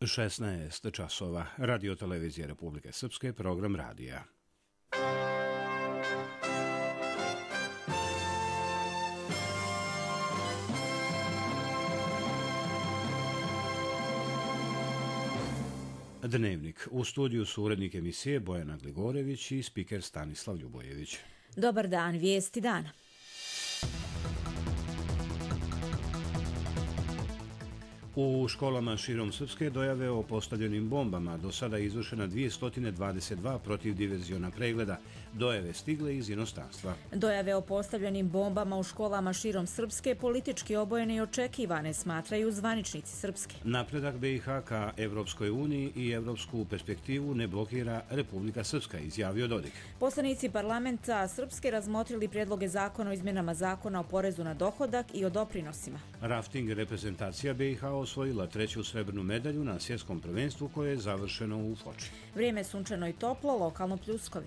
16 časova. Radio televizije Republike Srpske, program radija. Dnevnik. U studiju su urednik emisije Bojana Gligorević i spiker Stanislav Ljubojević. Dobar dan, vijesti dana. U školama širom Srpske dojave o postavljenim bombama. Do sada je izvršena 222 protivdiverziona pregleda. Dojave stigle iz inostranstva. Dojave o postavljenim bombama u školama širom Srpske politički obojene i očekivane, smatraju zvaničnici Srpske. Napredak BiH ka Evropskoj uniji i evropsku perspektivu ne blokira Republika Srpska, izjavio Dodik. Poslanici parlamenta Srpske razmotrili prijedloge zakona o izmjenama zakona o porezu na dohodak i o doprinosima. Rafting reprezentacija BiH osvojila 3. srebrnu medalju na svjetskom prvenstvu koje je završeno u Foči. Vrijeme je sunčano i toplo, lokalno pljuskovi.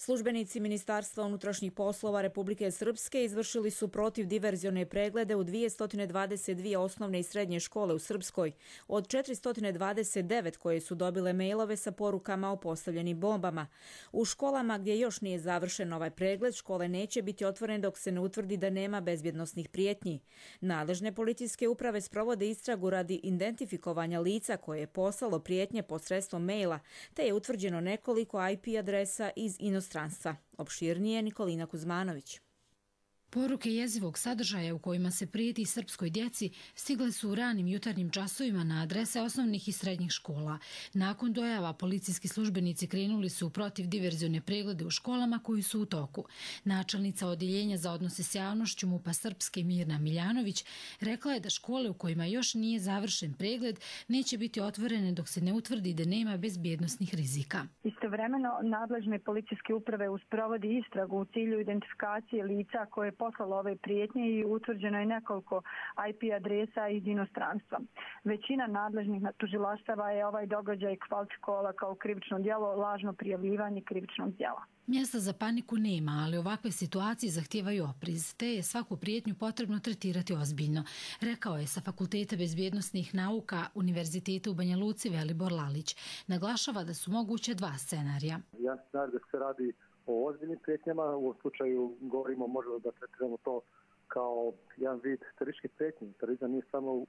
Službenici Ministarstva unutrašnjih poslova Republike Srpske izvršili su protivdiverzione preglede u 222 osnovne i srednje škole u Srpskoj, od 429 koje su dobile mailove sa porukama o postavljenim bombama. U školama gdje još nije završen ovaj pregled, škole neće biti otvorene dok se ne utvrdi da nema bezbjednosnih prijetnji. Nadležne policijske uprave sprovode istragu radi identifikovanja lica koje je poslalo prijetnje posredstvom maila, te je utvrđeno nekoliko IP adresa iz inostranstva. Opširnije Nikolina Kuzmanović. Poruke jezivog sadržaja u kojima se prijeti srpskoj djeci stigle su u ranim jutarnjim časovima na adrese osnovnih i srednjih škola. Nakon dojava, policijski službenici krenuli su u protivdiverzione preglede u školama koji su u toku. Načelnica Odjeljenja za odnose s javnošću MUP-a Srpske Mirna Miljanović rekla je da škole u kojima još nije završen pregled neće biti otvorene dok se ne utvrdi da nema bezbjednosnih rizika. Istovremeno, nadležne policijske uprave sprovodi istragu u cilju identifikacije lica koje poslalo ove prijetnje i utvrđeno je nekoliko IP adresa iz inostranstva. Većina nadležnih tužilaštava je ovaj događaj kvalifikovala kao krivično djelo, lažno prijavljivanje krivičnog djela. Mjesta za paniku nema, ali ovakve situacije zahtijevaju opriz, te je svaku prijetnju potrebno tretirati ozbiljno, rekao je sa Fakulteta bezbjednosnih nauka Univerziteta u Banja Luci Velibor Lalić. Naglašava da su moguće dva scenarija. Ja znam da se radi o ozbiljnim prijetnjama, u ovom slučaju govorimo možda da tretiramo to kao jedan vid terorističkih prijetnji. Terorizam nije samo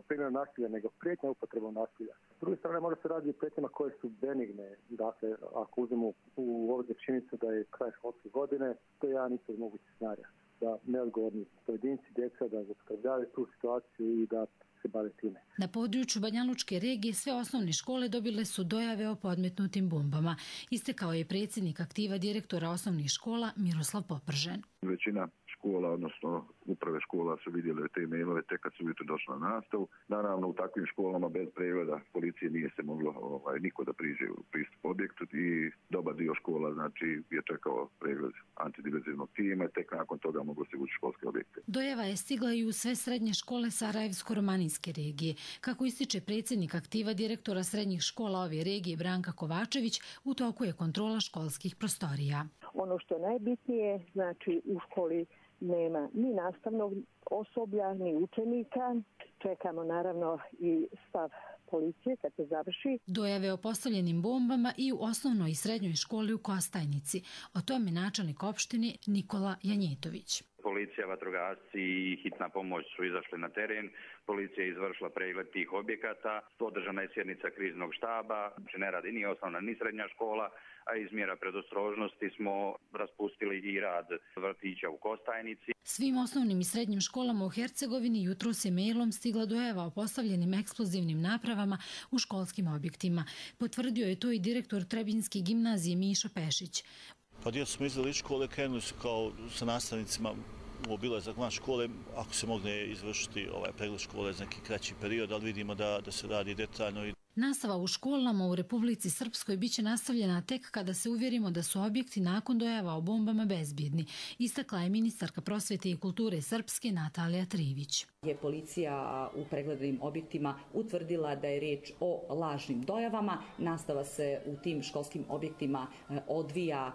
primjer nasilja, nego prijetnja upotrebom nasilja. S druge strane možda se radi o prijetnjama koje su benigne. Dakle, ako uzmemo u ovdje činjenicu da je kraj školske godine, to je jedan isto mogući scenarij. Da neodgovorni pojedinci, djeca, da zloupotrebljavaju tu situaciju i da se bave time. Na području Banjalučke regije sve osnovne škole dobile su dojave o podmetnutim bombama. Istekao je predsjednik aktiva direktora osnovnih škola Miroslav Popržen. Većina škola, odnosno uprave škola su vidjeli te mailove tek kad su ujutro došli na nastavu. Naravno, u takvim školama bez pregleda policije nije se moglo niko da priđe u pristup objektu i dobar dio škola znači je čekao pregled antidiverzivnog tima i tek nakon toga moglo se ući školske objekte. Dojava je stigla i u sve srednje škole Sarajevsko-romanijske regije. Kako ističe predsjednik aktiva direktora srednjih škola ove regije Branka Kovačević, u toku je kontrola školskih prostorija. Ono što je najbitnije, znači u školi nema ni nastavnog osoblja, ni učenika. Čekamo naravno i stav policije kad se završi. Dojave o postavljenim bombama i u osnovnoj i srednjoj školi u Kostajnici. O tome načelnik opštine Nikola Janjetović. Policija, vatrogasci i hitna pomoć su izašli na teren. Policija je izvršila pregled tih objekata. Održana je sjednica kriznog štaba. Ne radi ni osnovna ni srednja škola, a iz mjera predostrožnosti smo raspustili i rad vrtića u Kostajnici. Svim osnovnim i srednjim školama u Hercegovini jutro se mailom stigla dojava o postavljenim eksplozivnim napravama u školskim objektima. Potvrdio je to i direktor Trebinjske gimnazije Mišo Pešić. Pa djeca smo izdali škole, krenuli su kao sa nastavnicima u obilazak van škole, ako se mogne izvršiti pregled škole za neki kraći period, ali vidimo da se radi detaljno. Nastava u školama u Republici Srpskoj biće nastavljena tek kada se uvjerimo da su objekti nakon dojava o bombama bezbjedni, istakla je ministarka prosvete i kulture Srpske Natalija Trivić. Je policija u pregledanim objektima utvrdila da je riječ o lažnim dojavama. Nastava se u tim školskim objektima odvija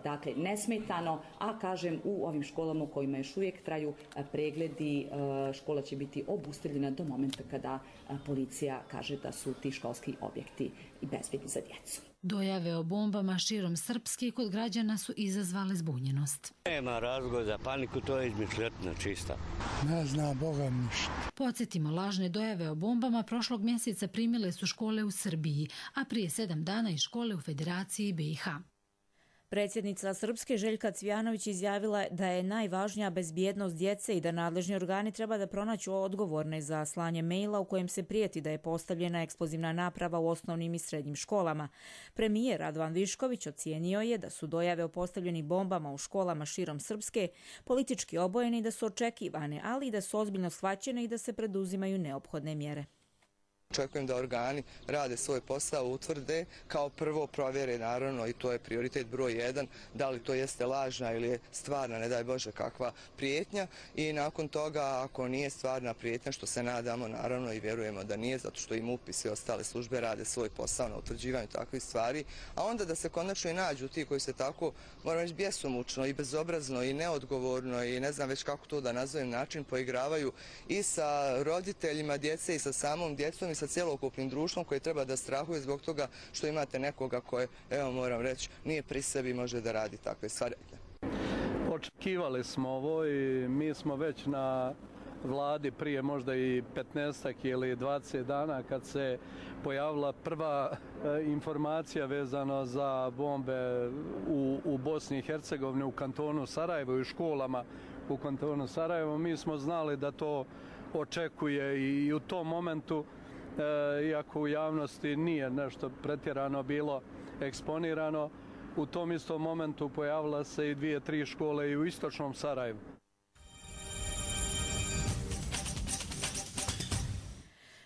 dakle nesmetano, a kažem u ovim školama u kojima još uvijek traju pregledi, škola će biti obustavljena do momenta kada policija kaže da su ti školski objekti bezbedni za djecu. Dojave o bombama širom Srpske kod građana su izazvale zbunjenost. Nema razloga za paniku, to je izmišljotina čista. Ne zna Boga ništa. Podsjetimo, lažne dojave o bombama prošlog mjeseca primile su škole u Srbiji, a prije 7 dana i škole u Federaciji BiH. Predsjednica Srpske Željka Cvijanović izjavila da je najvažnija bezbjednost djece i da nadležni organi treba da pronađu odgovorne za slanje maila u kojem se prijeti da je postavljena eksplozivna naprava u osnovnim i srednjim školama. Premijer Radovan Višković ocijenio je da su dojave o postavljenim bombama u školama širom Srpske politički obojene i da su očekivane, ali i da su ozbiljno shvaćene i da se preduzimaju neophodne mjere. Očekujem da organi rade svoj posao, utvrde, kao prvo provjere naravno i to je prioritet broj 1, da li to jeste lažna ili je stvarna, ne daj Bože kakva prijetnja i nakon toga ako nije stvarna prijetnja, što se nadamo naravno i vjerujemo da nije, zato što i MUP i sve ostale službe rade svoj posao na utvrđivanju takvih stvari, a onda da se konačno i nađu ti koji se tako, moram reći, bjesomučno i bezobrazno i neodgovorno i ne znam već kako to da nazovem način, poigravaju i sa roditeljima djece i sa samom djecom i sa cjelokupnim društvom koje treba da strahuje zbog toga što imate nekoga koje, evo moram reći, nije pri sebi i može da radi takve stvari. Očekivali smo ovo i mi smo već na vladi prije možda i 15 ili 20 dana kad se pojavila prva informacija vezano za bombe u Bosni i Hercegovini, u kantonu Sarajevo i u školama u kantonu Sarajevo. Mi smo znali da to očekuje i u tom momentu, iako u javnosti nije nešto pretjerano bilo eksponirano, u tom istom momentu pojavila se i 2-3 škole i u istočnom Sarajevu.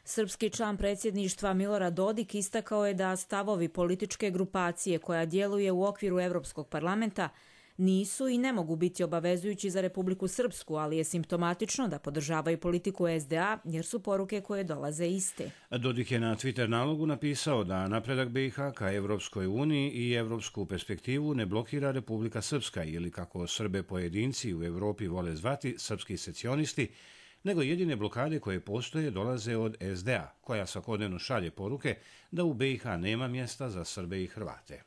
Srpski član predsjedništva Milorad Dodik istakao je da stavovi političke grupacije koja djeluje u okviru Evropskog parlamenta nisu i ne mogu biti obavezujući za Republiku Srpsku, ali je simptomatično da podržavaju politiku SDA jer su poruke koje dolaze iste. Dodik je na Twitter nalogu napisao da napredak BiH ka Evropskoj uniji i evropsku perspektivu ne blokira Republika Srpska ili, kako Srbe pojedinci u Evropi vole zvati, srpski secesionisti, nego jedine blokade koje postoje dolaze od SDA, koja svakodnevno šalje poruke da u BiH nema mjesta za Srbe i Hrvate.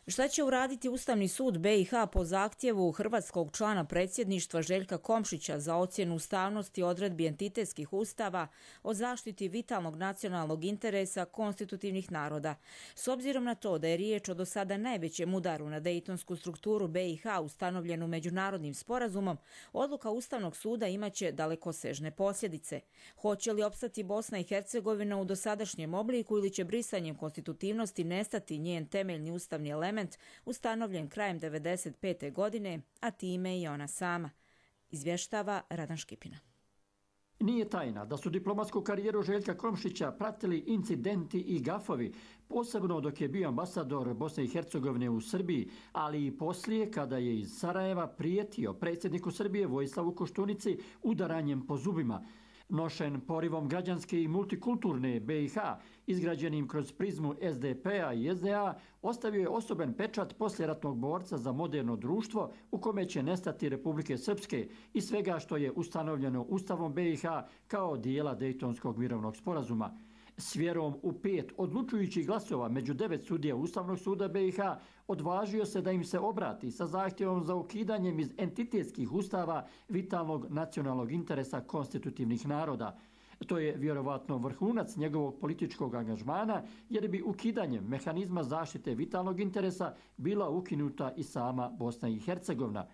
Šta će uraditi Ustavni sud BiH po zahtjevu hrvatskog člana predsjedništva Željka Komšića za ocjenu ustavnosti odredbi entitetskih ustava o zaštiti vitalnog nacionalnog interesa konstitutivnih naroda? S obzirom na to da je riječ o do sada najvećem udaru na dejtonsku strukturu BiH ustanovljenu međunarodnim sporazumom, odluka Ustavnog suda imaće dalekosežne posljedice. Hoće li opstati Bosna i Hercegovina u dosadašnjem obliku ili će brisanjem konstitutivnosti nestati njen temeljni ustavni element ustanovljen krajem 1995. godine, a time i ona sama, izvještava Radan Škipina. Nije tajna da su diplomatsku karijeru Željka Komšića pratili incidenti i gafovi, posebno dok je bio ambasador Bosne i Hercegovine u Srbiji, ali i poslije kada je iz Sarajeva prijetio predsjedniku Srbije Vojislavu Koštunici udaranjem po zubima. Nošen porivom građanske i multikulturne BiH, izgrađenim kroz prizmu SDP-a i SDA, ostavio je osoben pečat poslijeratnog borca za moderno društvo u kome će nestati Republike Srpske i svega što je ustanovljeno Ustavom BiH kao dijela Dejtonskog mirovnog sporazuma. S vjerom u 5 odlučujućih glasova među 9 sudija Ustavnog suda BiH odvažio se da im se obrati sa zahtjevom za ukidanjem iz entitetskih ustava vitalnog nacionalnog interesa konstitutivnih naroda. To je vjerovatno vrhunac njegovog političkog angažmana, jer bi ukidanjem mehanizma zaštite vitalnog interesa bila ukinuta i sama Bosna i Hercegovina.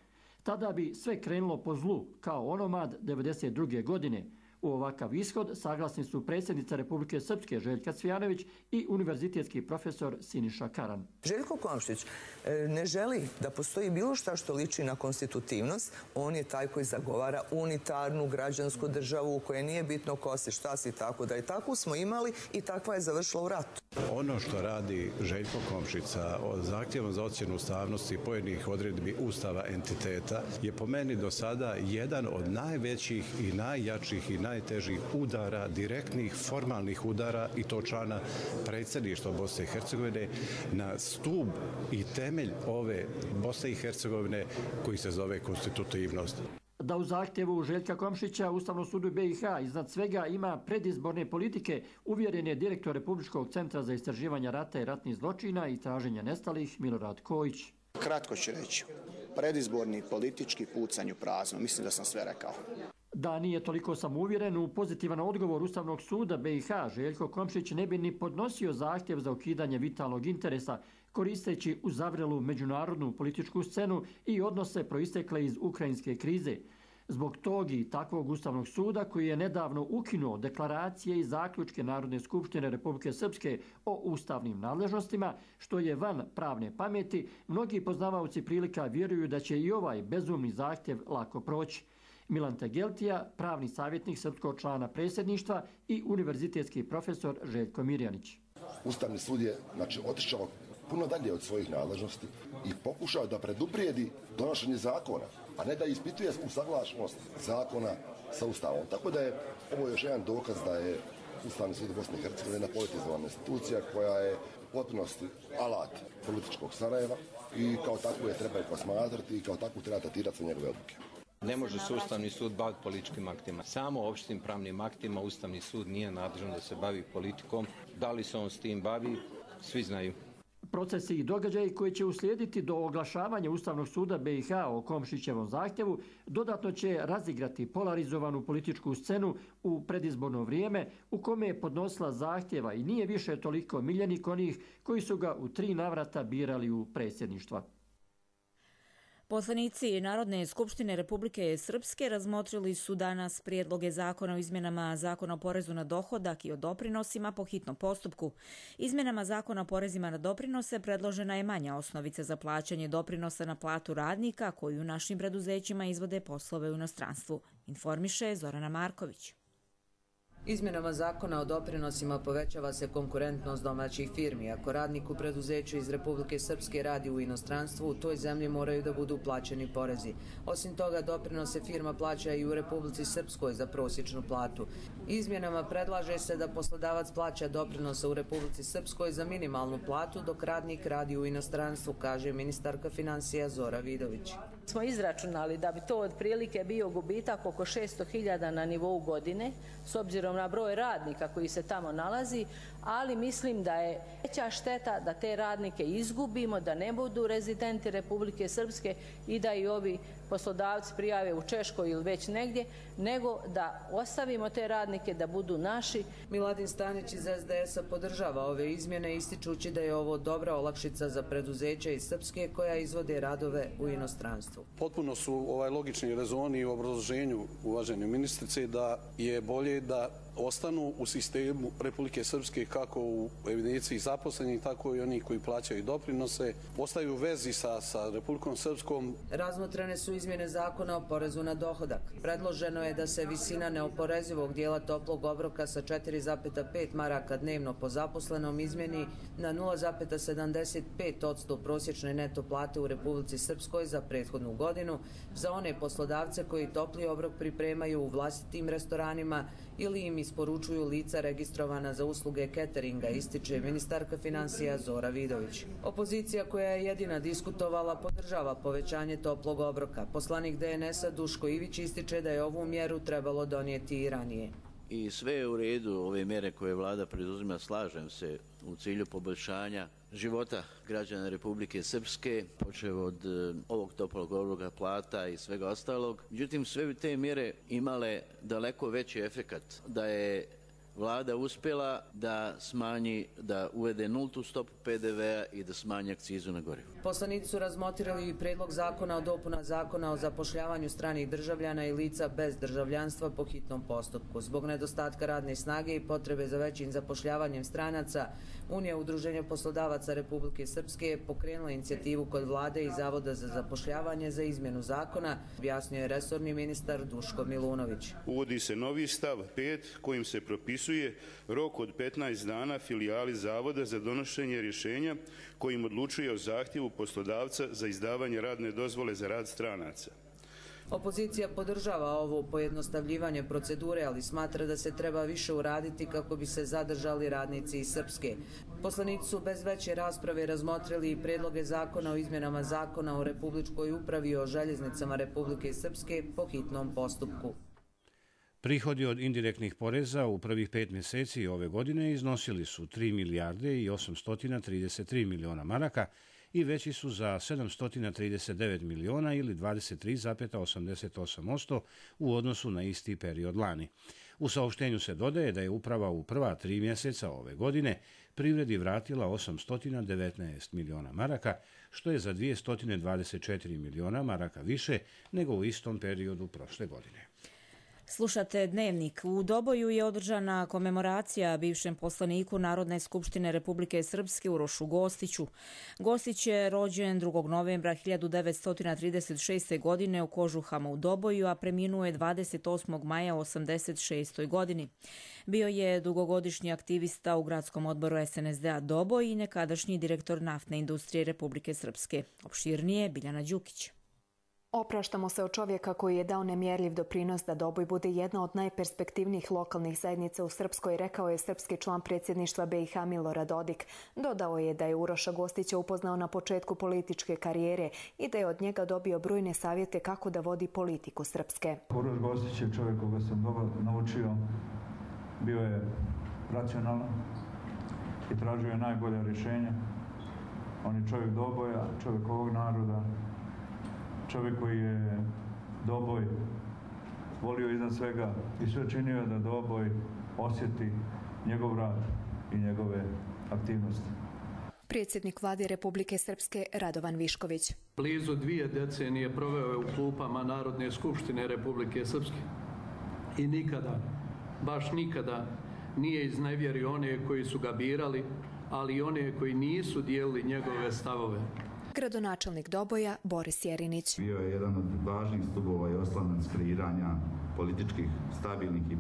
Tada bi sve krenulo po zlu, kao onomad 1992. godine. U ovakav ishod saglasni su predsjednica Republike Srpske Željka Cvijanović i univerzitetski profesor Siniša Karan. Željko Komšić ne želi da postoji bilo šta što liči na konstitutivnost. On je taj koji zagovara unitarnu građansku državu u kojoj nije bitno ko si, šta si, tako da i takvu smo imali i takva je završila u ratu. Ono što radi Željko Komšica o zahtjevom za ocjenu ustavnosti pojedinih odredbi Ustava entiteta je po meni do sada jedan od najvećih i najjačih i najtežih udara, direktnih formalnih udara i to člana predsjedništva Bosne i Hercegovine na stub i temelj ove Bosne i Hercegovine koji se zove konstitutivnost. Da u zahtjevu Željka Komšića Ustavnom sudu BiH iznad svega ima predizborne politike, uvjeren je direktor Republičkog centra za istraživanje rata i ratnih zločina i traženja nestalih Milorad Kojić. Kratko ću reći, predizborni politički pucanj u prazno, mislim da sam sve rekao. Da nije toliko samouvjeren u pozitivan odgovor Ustavnog suda BiH, Željko Komšić ne bi ni podnosio zahtjev za ukidanje vitalnog interesa, koristeći uzavrelu međunarodnu političku scenu i odnose proistekle iz ukrajinske krize. Zbog tog i takvog Ustavnog suda koji je nedavno ukinuo deklaracije i zaključke Narodne skupštine Republike Srpske o ustavnim nadležnostima, što je van pravne pameti, mnogi poznavaoci prilika vjeruju da će i ovaj bezumni zahtjev lako proći. Milan Tegeltija, pravni savjetnik srpskog člana predsjedništva i univerzitetski profesor Željko Mirjanić. Ustavni sud je otišao puno dalje od svojih nadležnosti i pokušao da preduprijedi donošenje zakona, a ne da ispituje usaglašenost zakona sa Ustavom. Tako da je ovo još jedan dokaz da je Ustavni sud Bosne i Hercegovine jedna politizovana institucija koja je u potpunosti alat političkog Sarajeva i kao takvu je treba posmatrati i kao takvu treba tretirati sve njegove odluke. Ne može se Ustavni sud baviti političkim aktima. Samo opštim pravnim aktima Ustavni sud nije nadležan da se bavi politikom. Da li se on s tim bavi, svi znaju. Procesi i događaji koji će uslijediti do oglašavanja Ustavnog suda BiH o Komšićevom zahtjevu dodatno će razigrati polarizovanu političku scenu u predizborno vrijeme u kome je podnosila zahtjeva i nije više toliko miljenik onih koji su ga u 3 navrata birali u predsjedništva. Poslanici Narodne skupštine Republike Srpske razmotrili su danas prijedloge zakona o izmjenama Zakona o porezu na dohodak i o doprinosima po hitnom postupku. Izmjenama Zakona o porezima na doprinose predložena je manja osnovica za plaćanje doprinosa na platu radnika koji u našim preduzećima izvode poslove u inostranstvu, informiše Zorana Marković. Izmjenama zakona o doprinosima povećava se konkurentnost domaćih firmi. Ako radnik u preduzeću iz Republike Srpske radi u inostranstvu, u toj zemlji moraju da budu plaćeni porezi. Osim toga, doprinose firma plaća i u Republici Srpskoj za prosječnu platu. Izmjenama predlaže se da poslodavac plaća doprinosa u Republici Srpskoj za minimalnu platu, dok radnik radi u inostranstvu, kaže ministarka financija Zora Vidović. Smo izračunali da bi to otprilike bio gubitak oko 600.000 na nivou godine, s obzirom na broj radnika koji se tamo nalazi, ali mislim da je veća šteta da te radnike izgubimo, da ne budu rezidenti Republike Srpske i da i ovi poslodavci prijave u Češkoj ili već negdje, nego da ostavimo te radnike da budu naši. Miladin Stanić iz SDS-a podržava ove izmjene, ističući da je ovo dobra olakšica za preduzeća iz Srpske koja izvode radove u inostranstvu. Potpuno su logični rezoni u obrazloženju uvažene ministrice da je bolje da ostanu u sistemu Republike Srpske kako u evidenciji zaposlenih, tako i oni koji plaćaju doprinose, ostaju u vezi sa Republikom Srpskom. Razmotrene su izmjene zakona o porezu na dohodak. Predloženo je da se visina neoporezivog dijela toplog obroka sa 4,5 maraka dnevno po zaposlenom izmjeni na 0,75% prosječne neto plate u Republici Srpskoj za prethodnu godinu za one poslodavce koji topli obrok pripremaju u vlastitim restoranima ili im isporučuju lica registrovana za usluge cateringa, ističe ministarka financija Zora Vidović. Opozicija koja je jedina diskutovala podržava povećanje toplog obroka. Poslanik DNS-a Duško Ivić ističe da je ovu mjeru trebalo donijeti i ranije. I sve je u redu, ove mjere koje vlada preduzima, slažem se, u cilju poboljšanja života građana Republike Srpske, počev od ovog toplog obroka, plata i svega ostalog. Međutim, sve bi te mjere imale daleko veći efekat da je vlada uspjela da smanji, da uvede nultu stopu PDV-a i da smanji akcizu na gorivo. Poslanici su razmotrili i predlog zakona o dopuna zakona o zapošljavanju stranih državljana i lica bez državljanstva po hitnom postupku. Zbog nedostatka radne snage i potrebe za većim zapošljavanjem stranaca, Unija udruženja poslodavaca Republike Srpske je pokrenula inicijativu kod vlade i Zavoda za zapošljavanje za izmjenu zakona, objasnio je resorni ministar Duško Milunović. Uvodi se novi stav 5 kojim se propisuje propisuje rok od 15 dana filijali Zavoda za donošenje rješenja kojim odlučuje o zahtjevu poslodavca za izdavanje radne dozvole za rad stranaca. Opozicija podržava ovo pojednostavljivanje procedure, ali smatra da se treba više uraditi kako bi se zadržali radnici iz Srpske. Poslanici su bez veće rasprave razmotrili i predloge zakona o izmjenama zakona o Republičkoj upravi o željeznicama Republike Srpske po hitnom postupku. Prihodi od indirektnih poreza u prvih 5 mjeseci ove godine iznosili su 3 milijarde i 833 miliona maraka i veći su za 739 miliona ili 23,88% u odnosu na isti period lani. U saopštenju se dodaje da je uprava u prva 3 mjeseca ove godine privredi vratila 819 miliona maraka, što je za 224 miliona maraka više nego u istom periodu prošle godine. Slušate Dnevnik. U Doboju je održana komemoracija bivšem poslaniku Narodne skupštine Republike Srpske Urošu Gostiću. Gostić je rođen 2. novembra 1936. godine u Kožuhama u Doboju, a preminuo je 28. maja u 86. godini. Bio je dugogodišnji aktivista u gradskom odboru SNSD-a Doboj i nekadašnji direktor naftne industrije Republike Srpske. Opširnije Biljana Đukić. Opraštamo se od čovjeka koji je dao nemjerljiv doprinos da Doboj bude jedna od najperspektivnijih lokalnih zajednica u Srpskoj, rekao je srpski član predsjedništva BiH Milorad Dodik. Dodao je da je Uroša Gostića upoznao na početku političke karijere i da je od njega dobio brojne savjete kako da vodi politiku Srpske. Uroš Gostić je čovjek koga sam dobro naučio, bio je racionalan i tražio je najbolja rješenja. On je čovjek Doboja, čovjek ovog naroda, čovjek koji je Doboj volio iznad svega i sve činio da Doboj osjeti njegov rad i njegove aktivnosti. Predsjednik vlade Republike Srpske Radovan Višković. Blizu 2 decenije proveo je u klupama Narodne skupštine Republike Srpske i nikada, baš nikada, nije iznevjerio one koji su ga birali, ali i one koji nisu dijelili njegove stavove. Gradonačelnik Doboja Boris Jerinić. Bio je jedan od važnih stubova i oslanac kreiranja političkih, stabilnih i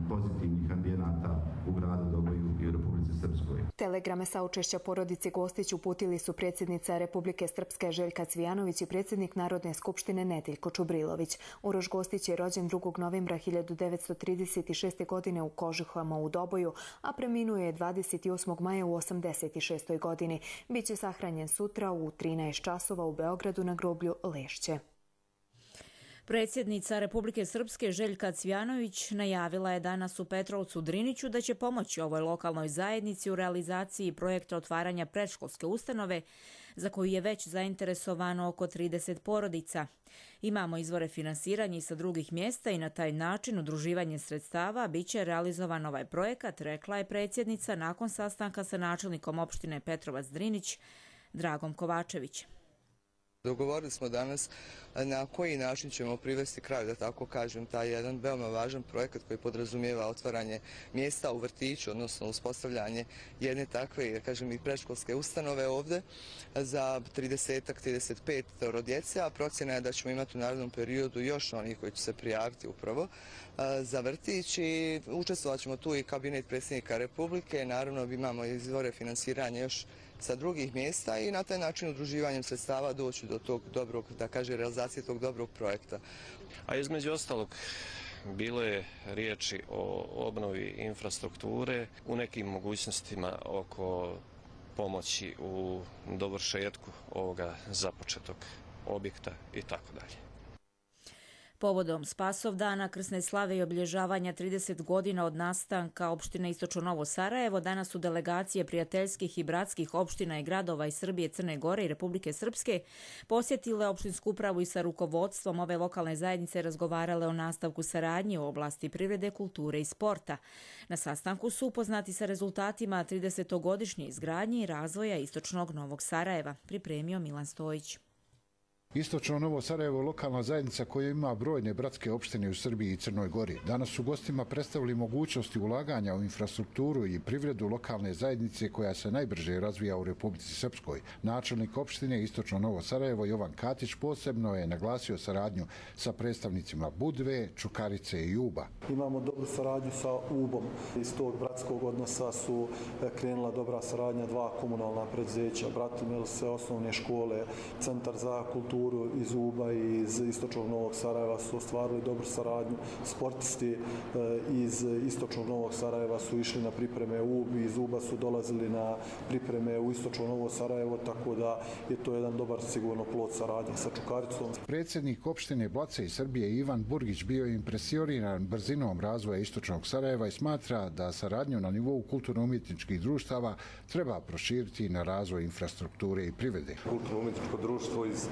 pozitivnih ambijenata u gradu Doboju i u Republici Srpskoj. Telegrame saučešća porodici Gostić uputili su predsjednica Republike Srpske Željka Cvijanović i predsjednik Narodne skupštine Nedeljko Čubrilović. Uroš Gostić je rođen 2. novembra 1936. godine u Kožuhama u Doboju, a preminuo je 28. maja u 86. godini. Biće sahranjen sutra u 13 časova u Beogradu na groblju Lešće. Predsjednica Republike Srpske Željka Cvijanović najavila je danas u Petrovcu Driniću da će pomoći ovoj lokalnoj zajednici u realizaciji projekta otvaranja predškolske ustanove za koju je već zainteresovano oko 30 porodica. Imamo izvore finansiranja i sa drugih mjesta i na taj način udruživanje sredstava biće realizovan ovaj projekat, rekla je predsjednica nakon sastanka sa načelnikom opštine Petrovac Drinić Dragom Kovačević. Dogovorili smo danas na koji način ćemo privesti kraju, da tako kažem, taj jedan veoma važan projekat koji podrazumijeva otvaranje mjesta u vrtiću, odnosno uspostavljanje jedne takve, da kažem, i predškolske ustanove ovdje za 30-35 djece, a procjena je da ćemo imati u narednom periodu još onih koji će se prijaviti upravo za vrtić i učestvovat ćemo tu i kabinet predsjednika Republike, naravno imamo izvore finansiranja još sa drugih mjesta i na taj način udruživanjem sredstava doći do tog dobrog, da kaže, realizacije tog dobrog projekta. A između ostalog, bilo je riječi o obnovi infrastrukture, u nekim mogućnostima oko pomoći u dovršetku ovoga započetog objekta i tako dalje. Povodom Spasovdana, krsne slave i obilježavanja 30 godina od nastanka opštine Istočno Novo Sarajevo, danas su delegacije prijateljskih i bratskih opština i gradova iz Srbije, Crne Gore i Republike Srpske posjetile opštinsku upravu i sa rukovodstvom ove lokalne zajednice razgovarale o nastavku saradnje u oblasti privrede, kulture i sporta. Na sastanku su upoznati sa rezultatima 30-godišnje izgradnje i razvoja Istočnog Novog Sarajeva, pripremio Milan Stojić. Istočno Novo Sarajevo, lokalna zajednica koja ima brojne bratske opštine u Srbiji i Crnoj Gori, danas su gostima predstavili mogućnosti ulaganja u infrastrukturu i privredu lokalne zajednice koja se najbrže razvija u Republici Srpskoj. Načelnik opštine Istočno Novo Sarajevo Jovan Katić posebno je naglasio saradnju sa predstavnicima Budve, Čukarice i Uba. Imamo dobru saradnju sa Ubom. Iz tog bratskog odnosa su krenula dobra saradnja dva komunalna preduzeća, Bratimel, sve osnovne škole, Centar za kulturu iz Uba i iz Istočnog Novog Sarajeva su ostvarili dobru saradnju. Sportisti iz Istočnog Novog Sarajeva su išli na pripreme u Ub, iz Uba su dolazili na pripreme u Istočno Novo Sarajevo, tako da je to jedan dobar sigurno plod saradnje sa Čukaricom. Predsjednik opštine Blace i Srbije Ivan Burgić bio je impresioniran brzinom razvoja Istočnog Sarajeva i smatra da saradnju na nivou kulturno-umjetničkih društava treba proširiti na razvoj infrastrukture i privrede. Kulturno-umjetničko društvo iz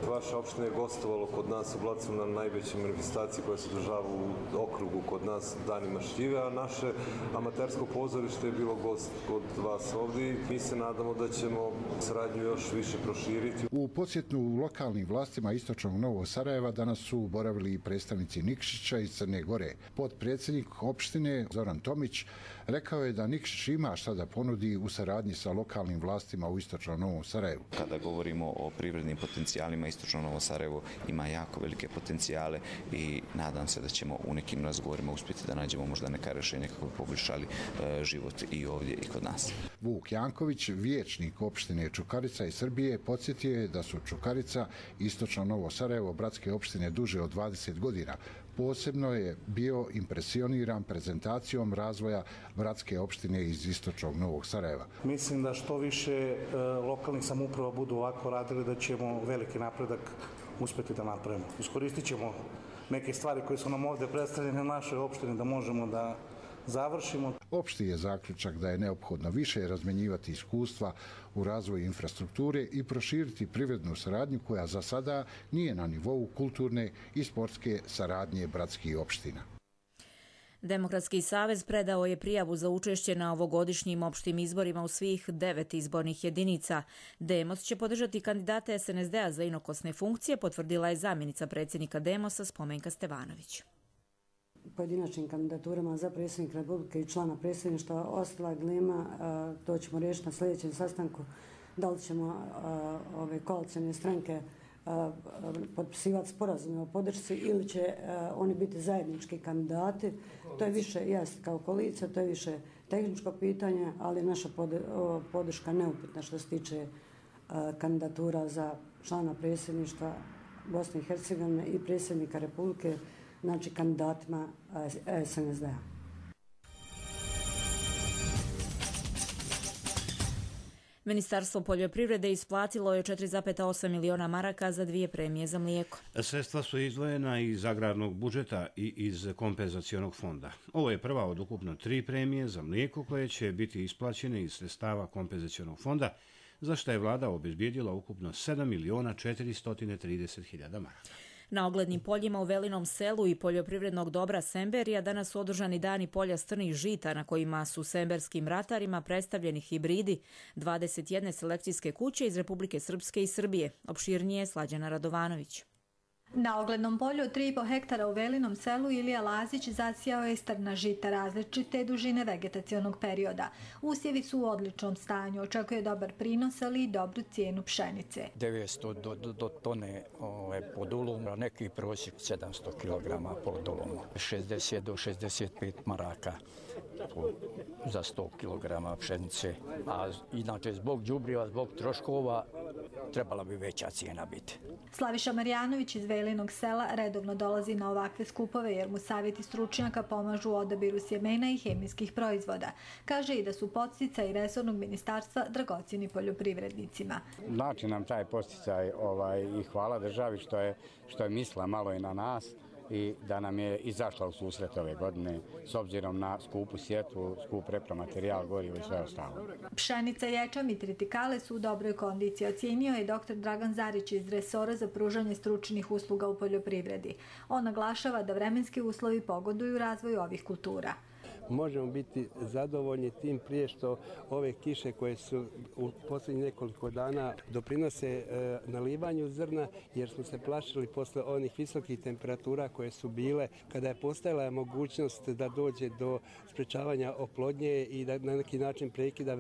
vaše opštine je gostovalo kod nas u Blacu na najvećoj manifestaciji koja se održava u okrugu kod nas danima šljive, a naše amatersko pozorište je bilo gost kod vas ovdje i mi se nadamo da ćemo saradnju još više proširiti. U posjetu lokalnim vlastima Istočnog Novog Sarajeva danas su boravili i predstavnici Nikšića iz Crne Gore. Potpredsjednik opštine Zoran Tomić rekao je da Nikšić ima šta da ponudi u saradnji sa lokalnim vlastima u Istočnom Novom Sarajevu. Kada govorimo o privrednim potencijalima, Istočno Novo Sarajevo ima jako velike potencijale i nadam se da ćemo u nekim razgovorima uspjeti da nađemo možda neka rješenja kako bi poboljšali život i ovdje i kod nas. Vuk Janković, vijećnik opštine Čukarica iz Srbije, podsjetio je da su Čukarica i Istočno Novo Sarajevo bratske opštine duže od 20 godina. Posebno je bio impresioniran prezentacijom razvoja bratske opštine iz Istočnog Novog Sarajeva. Mislim da što više lokalnih samouprava budu ovako radili da ćemo veliki napredak uspjeti da napravimo. Iskoristit ćemo neke stvari koje su nam ovdje predstavljene na našoj opštini da možemo da završimo. Opšti je zaključak da je neophodno više razmenjivati iskustva u razvoju infrastrukture i proširiti privrednu saradnju koja za sada nije na nivou kulturne i sportske saradnje bratskih opština. Demokratski savez predao je prijavu za učešće na ovogodišnjim opštim izborima u svih 9 izbornih jedinica. Demos će podržati kandidate SNSD-a za inokosne funkcije, potvrdila je zamjenica predsjednika Demosa Spomenka Stevanović. Pojedinačnim kandidaturama za predsjednika Republike i člana predsjedništva ostala dilema, to ćemo riješiti na sljedećem sastanku, da li ćemo ove koalicijne stranke potpisivati sporazume o podršci ili će oni biti zajednički kandidati. To je više, kao koalicija, to je više tehničko pitanje, ali naša podrška neupitna što se tiče kandidatura za člana predsjedništva Bosne i Hercegovine i predsjednika Republike, znači kandidatima SNSD-a. Ministarstvo poljoprivrede isplatilo je 4,8 miliona maraka za 2 premije za mlijeko. Sredstva su izdvojena iz agrarnog budžeta i iz kompenzacionog fonda. Ovo je prva od ukupno 3 premije za mlijeko koje će biti isplaćene iz sredstava kompenzacionog fonda, za što je vlada obezbijedila ukupno 7.430.000 maraka. Na oglednim poljima u Velinom selu i poljoprivrednog dobra Semberija danas su održani dani polja strnih žita na kojima su semberskim ratarima predstavljeni hibridi 21 selekcijske kuće iz Republike Srpske i Srbije. Opširnije je Slađana Radovanović. Na oglednom polju od 3,5 hektara u Velinom selu Ilija Lazić zasijao je strna žita različite dužine vegetacionog perioda. Usjevi su u odličnom stanju, očekuje dobar prinos, ali i dobru cijenu pšenice. 900 do tone po dulumu, neki prosjek 700 kg po dulumu, 60 do 65 maraka za 100 kg pšenice. A inače zbog đubriva, zbog troškova trebala bi veća cijena biti. Slaviša Marjanović iz Velinog sela redovno dolazi na ovakve skupove jer mu savjeti stručnjaka pomažu u odabiru sjemena i hemijskih proizvoda. Kaže i da su podsticaj resornog ministarstva dragocjeni poljoprivrednicima. Znači nam taj podsticaj i hvala državi što je mislila malo i na nas i da nam je izašla u susret ove godine s obzirom na skupu sjetvu, skup repromaterijal, gorivo i sve ostalo. Pšenica, ječam i tritikale su u dobroj kondiciji, ocijenio je dr. Dragan Zarić iz resora za pružanje stručnih usluga u poljoprivredi. On naglašava da vremenski uslovi pogoduju razvoju ovih kultura. možemo biti zadovoljni, tim prije što ove kiše koje su u posljednjih nekoliko dana doprinose nalivanju zrna, jer smo se plašili posle onih visokih temperatura koje su bile kada je postojala mogućnost da dođe do sprečavanja oplodnje i da na neki način prekida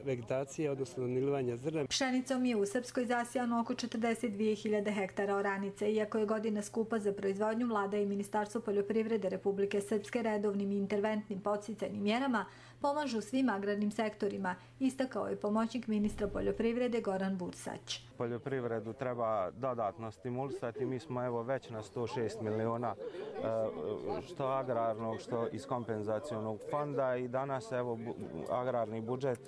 vegetacije, odnosno nalivanja zrna. Pšenicom je u Srpskoj zasijano oko 42.000 hektara oranice. Iako je godina skupa za proizvodnju, vlada i Ministarstvo poljoprivrede Republike Srpske redovnim i interventnim podsticajnim mjerama pomažu svim agrarnim sektorima, istakao je pomoćnik ministra poljoprivrede Goran Bursać. Poljoprivredu treba dodatno stimulisati. Mi smo evo već na 106 miliona što agrarnog, što iz kompenzacionog fonda i danas evo agrarni budžet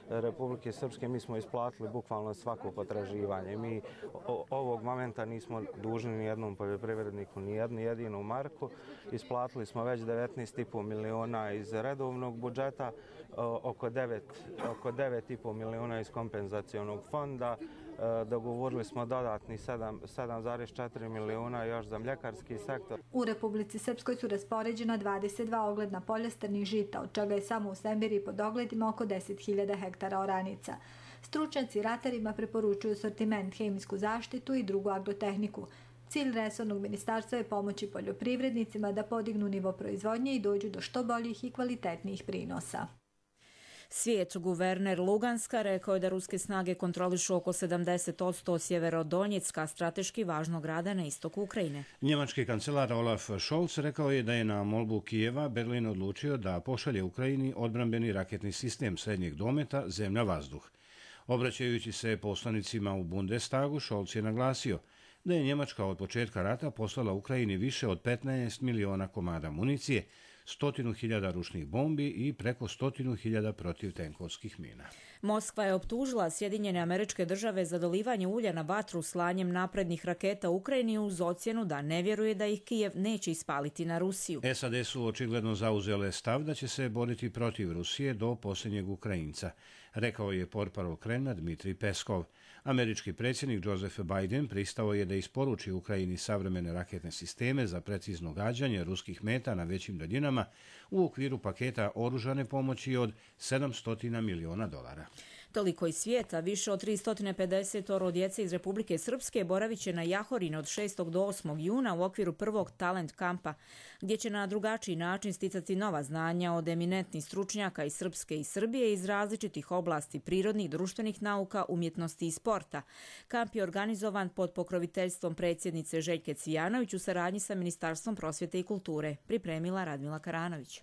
Republike Srpske mi smo isplatili bukvalno svako potraživanje. Mi ovog momenta nismo dužni ni jednom poljoprivredniku ni jednu jedinu marku. Isplatili smo već 19,5 miliona iz redovnog budžeta, oko 9,5 miliona iz kompenzacionog fonda. Dogovorili smo dodatni 7,4 miliona još za mljekarski sektor. U Republici Srpskoj su raspoređena 22 ogledna polja strnih žita, od čega je samo u Sembiri pod ogledima oko 10.000 hektara oranica. Stručnjaci ratarima preporučuju sortiment, hemijsku zaštitu i drugu agrotehniku. Cilj resornog ministarstva je pomoći poljoprivrednicima da podignu nivo proizvodnje i dođu do što boljih i kvalitetnijih prinosa. Svijet guverner Luganska rekao je da ruske snage kontrolišu oko 70% Sjeverodonjecka, strateški važnog grada na istoku Ukrajine. Njemački kancelar Olaf Scholz rekao je da je na molbu Kijeva Berlin odlučio da pošalje Ukrajini odbrambeni raketni sistem srednjeg dometa zemlja-vazduh. Obraćajući se poslanicima u Bundestagu, Scholz je naglasio da je Njemačka od početka rata poslala Ukrajini više od 15 miliona komada municije, 100.000 ručnih bombi i preko 100.000 protivtenkovskih mina. Moskva je optužila Sjedinjene Američke Države za dolivanje ulja na vatru slanjem naprednih raketa u Ukrajini uz ocjenu da ne vjeruje da ih Kijev neće ispaliti na Rusiju. SAD su očigledno zauzele stav da će se boriti protiv Rusije do posljednjeg Ukrajinca, rekao je portparol Kremlja Dmitrij Peskov. Američki predsjednik Joseph Biden pristao je da isporuči Ukrajini savremene raketne sisteme za precizno gađanje ruskih meta na većim daljinama u okviru paketa oružane pomoći od $700 miliona. Toliko iz svijeta, više od 350 djece iz Republike Srpske boravit će na Jahorini od 6. do 8. juna u okviru prvog talent kampa, gdje će na drugačiji način sticati nova znanja od eminentnih stručnjaka iz Srpske i Srbije iz različitih oblasti prirodnih, društvenih nauka, umjetnosti i sporta. Kamp je organizovan pod pokroviteljstvom predsjednice Željke Cvijanović u saradnji sa Ministarstvom prosvjete i kulture, pripremila Radmila Karanović.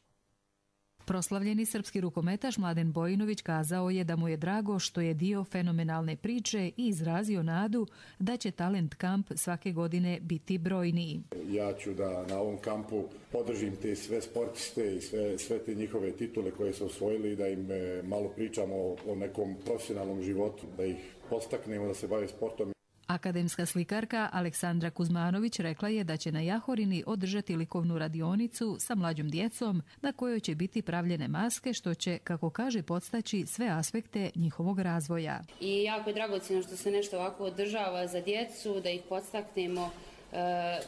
Proslavljeni srpski rukometaš Mladen Bojinović kazao je da mu je drago što je dio fenomenalne priče i izrazio nadu da će talent kamp svake godine biti brojniji. Ja ću da na ovom kampu podržim te sve sportiste i sve te njihove titule koje su osvojili, da im malo pričamo o nekom profesionalnom životu, da ih podstaknemo da se bave sportom. Akademska slikarka Aleksandra Kuzmanović rekla je da će na Jahorini održati likovnu radionicu sa mlađom djecom na kojoj će biti pravljene maske, što će, kako kaže, podstaći sve aspekte njihovog razvoja. I jako je dragocjeno što se nešto ovako održava za djecu, da ih podstaknemo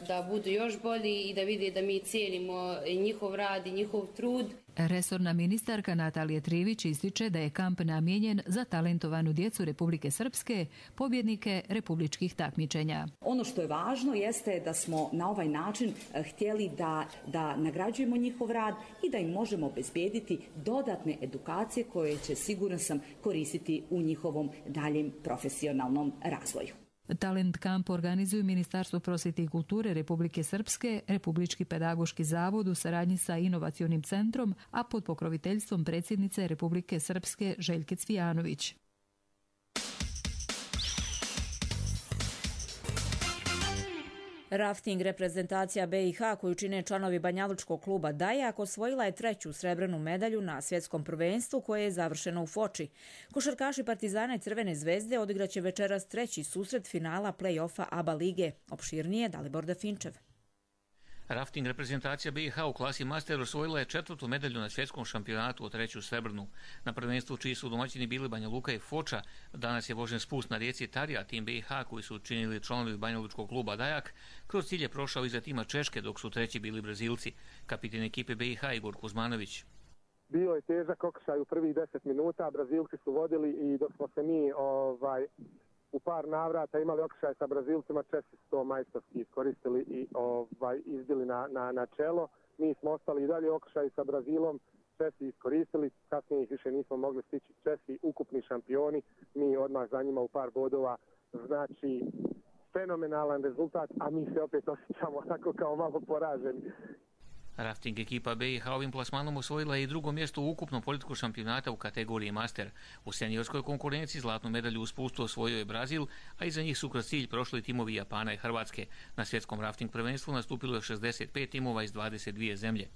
da budu još bolji i da vide da mi cijenimo njihov rad i njihov trud. Resorna ministarka Natalija Trivić ističe da je kamp namijenjen za talentovanu djecu Republike Srpske, pobjednike republičkih takmičenja. Ono što je važno jeste da smo na ovaj način htjeli da nagrađujemo njihov rad i da im možemo obezbijediti dodatne edukacije koje će, siguran sam, koristiti u njihovom daljem profesionalnom razvoju. Talent kamp organizuju Ministarstvo prosvjete i kulture Republike Srpske, Republički pedagoški zavod u saradnji sa Inovacionim centrom, a pod pokroviteljstvom predsjednice Republike Srpske Željke Cvijanović. Rafting reprezentacija BiH koju čine članovi Banjalučkog kluba Dajak osvojila je 3. srebrnu medalju na svjetskom prvenstvu koje je završeno u Foči. Košarkaši Partizana i Crvene zvezde odigraće večeras 3. susret finala play-offa ABA lige. Opširnije Dalibor Dafinčev. Rafting reprezentacija BiH u klasi Master osvojila je 4. medalju na svjetskom šampionatu, 3. srebrnu. Na prvenstvu čiji su domaćini bili Banja Luka i Foča, danas je vožen spust na rijeci Tarija, tim BiH koji su učinili članovi Banjalučkog kluba Dajak, kroz cilj je prošao iza tima Češke, dok su 3. bili Brazilci, kapitan ekipe BiH Igor Kuzmanović. Bio je težak okršaj u prvih 10 minuta, Brazilci su vodili i dok smo se mi u par navrata imali okršaj sa Brazilcima, Česi su to majstorski iskoristili i izbili na čelo. Mi smo ostali i dalje okršaj sa Brazilom, Česi iskoristili, kasnije ih više nismo mogli stići. Česi ukupni šampioni, mi odmah za njima u par bodova, znači fenomenalan rezultat, a mi se opet osjećamo tako kao malo poraženi. Rafting ekipa BiH ovim plasmanom osvojila je i drugo mjesto u ukupnom politiku šampionata u kategoriji Master. U seniorskoj konkurenciji zlatnu medalju u spustu osvojio je Brazil, a iza njih su kroz cilj prošli timovi Japana i Hrvatske. Na svjetskom rafting prvenstvu nastupilo je 65 timova iz 22 zemlje.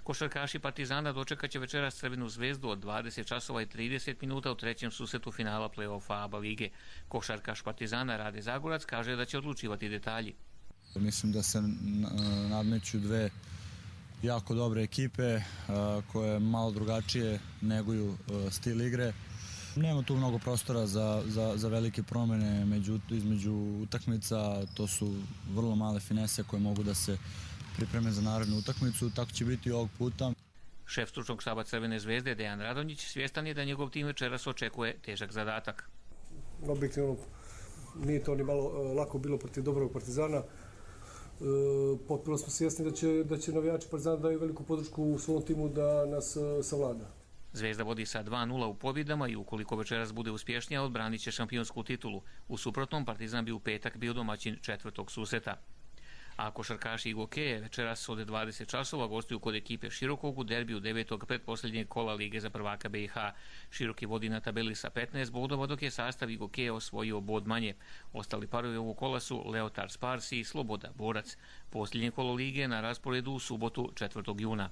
Košarkaši Partizana dočekat će večeras Crvenu zvezdu od 20 časova i 30 minuta u trećem susretu finala play-offa ABA lige. Košarkaš Partizana Rade Zagorac kaže da će odlučivati detalji. Mislim da se nadmeću dve jako dobre ekipe koje malo drugačije neguju stil igre. Nema tu mnogo prostora za velike promjene između utakmica, to su vrlo male finese koje mogu da se pripreme za narednu utakmicu, tako će biti i ovog puta. Šef stručnog štaba Crvene zvezde Dejan Radonjić svjestan je da njegov tim večeras očekuje težak zadatak. Objektivno nije to ni malo lako bilo protiv dobrog Partizana. Potpuno smo svjesni da će navijači Partizana daju veliku podršku u svom timu da nas savlada. Zvezda vodi sa 2:0 u pobjedama i ukoliko večeras bude uspješnija odbranit će šampionsku titulu. U suprotnom Partizan bi u petak bio domaćin četvrtog susreta. A košarkaši Igokeje večeras od 20 časova gostuju kod ekipe Širokog u derbiju 9. pretposljednjeg kola Lige za prvaka BiH. Široki vodi na tabeli sa 15 bodova, dok je sastav Igokeje osvojio bod manje. Ostali parovi ovog kola su Leotar Sparsi i Sloboda Borac. Posljednje kolo Lige na rasporedu u subotu 4. juna.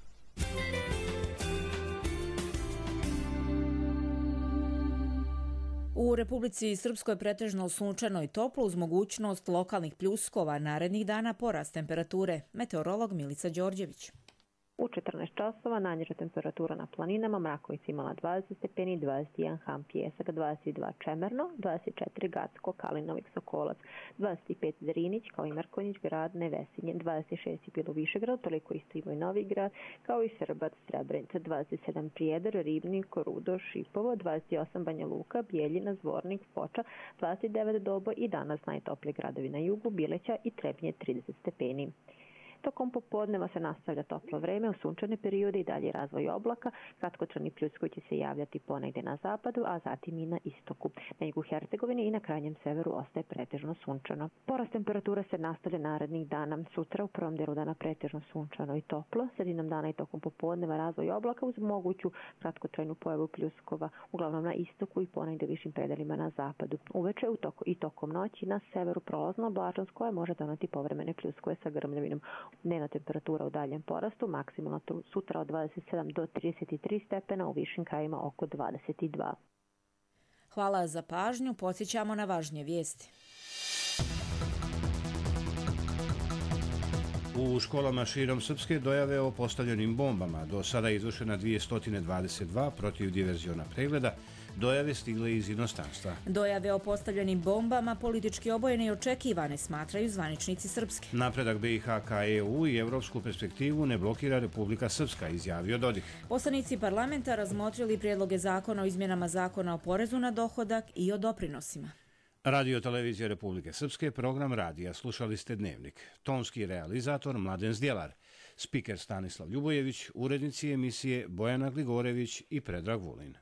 U Republici Srpskoj pretežno sunčano i toplo uz mogućnost lokalnih pljuskova, narednih dana porast temperature. Meteorolog Milica Đorđević. U 14 časova najniža temperatura na planinama, Mrakovica imala 20 stepeni, 21 Ham Pijesak, 22 Čemerno, 24 Gacko, Kalinovik, Sokolac, 25 Zrinić, kao i Mrkonjić, Grad, Nevesinje, 26 je bilo Višegrad, toliko isto ima i Novi Grad, kao i Srbac, Srebrenica, 27 Prijedor, Ribnik, Rudo, Šipovo, 28 Banja Luka, Bijeljina, Zvornik, Foča, 29 Dobo i danas najtopliji gradovi na jugu, Bileća i Trebnje 30 stepeni. Tokom popodneva se nastavlja toplo vreme, u sunčane periode i dalje razvoj oblaka, kratkotrajni pljuskovi će se javljati ponegdje na zapadu, a zatim i na istoku. Na jugu Hercegovine i na krajnjem severu ostaje pretežno sunčano. Porast temperatura se nastavlja narednih dana. Sutra u prvom delu dana pretežno sunčano i toplo, sredinom dana i tokom popodneva razvoj oblaka uz moguću kratkotrajnu pojavu pljuskova, uglavnom na istoku i ponegdje višim predelima na zapadu. Uveče i tokom noći na severu prolazna oblačnost koja može doneti povremene pljuskove sa grmljavinom. Dnevna temperatura u daljem porastu, maksimalno sutra od 27 do 33 stepena, u višim krajima oko 22. Hvala za pažnju, podsjećamo na važnije vijesti. U školama širom Srpske dojave o postavljenim bombama. Do sada je izvršena 222 protiv diverziona pregleda. Dojave stigle iz inostranstva. Dojave o postavljenim bombama politički obojene i očekivane, smatraju zvaničnici Srpske. Napredak BiH ka EU i evropsku perspektivu ne blokira Republika Srpska, izjavio Dodik. Poslanici parlamenta razmotrili prijedloge zakona o izmjenama zakona o porezu na dohodak i o doprinosima. Radio televizija Republike Srpske, program radija. Slušali ste Dnevnik. Tonski realizator Mladen Zdjelar. Spiker Stanislav Ljubojević, urednici emisije Bojana Gligorević i Predrag Vulin.